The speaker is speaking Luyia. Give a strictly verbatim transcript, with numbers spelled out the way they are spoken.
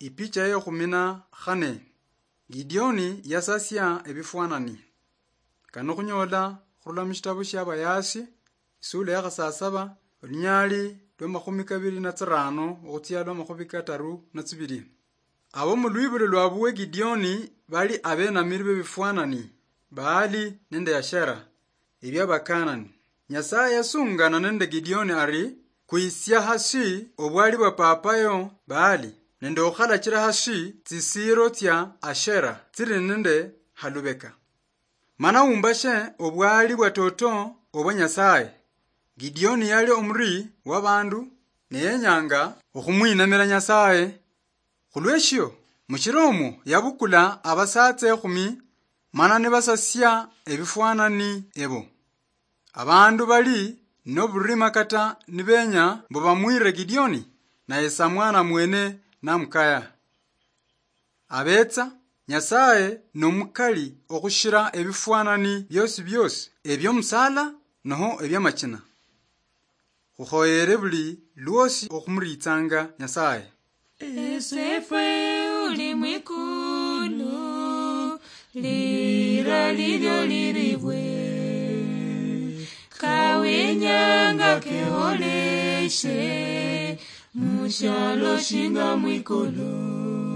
Ipicha ye khumi na khane. Gideoni yasasia ebifwanani. Kano khunyola khurula mushitabu shia Bayasi, isula ya khasasaba, olunyali lwa makhumi kabili na tsirano okhutsia lwa makhumi kataru na tsibili. Abo mu lwibulo lwa buwe Gideoni bali abenamiri bebifwanani, Baali nende Ashera, ebia Bakanani. Nyasaye yasungana nende Gideoni ari, "Kwisia hasi obwali bwa papayo Baali, nende okhalachira hasi tsisiiro tsia Ashera tsili nende halubeka. Mana umbashe obwali bwa toto obwa Nyasaye." Gideoni yali omuri wabandu, ne yenyanga okhumwinamira Nyasaye. Khulweshio, mushiro omwo yabukula abasatsa ekhumi, mana nibasasia ebifwanani ebo. Abandu bali noburima kata nibenya mbu bamwire Gideoni, naye samwana mwene namukaya. Abetsa, Nyasaye nomukali okhushira ebifwanani biosi biosi, ebiomusala noho ebiamachina. Khukhoyere buli lwosi okhumuritsanga Nyasaye. Esefwe uli mwikulu, lira lilio liribwe, kawenyanga keholeshe, mushalo shinga mwikulu.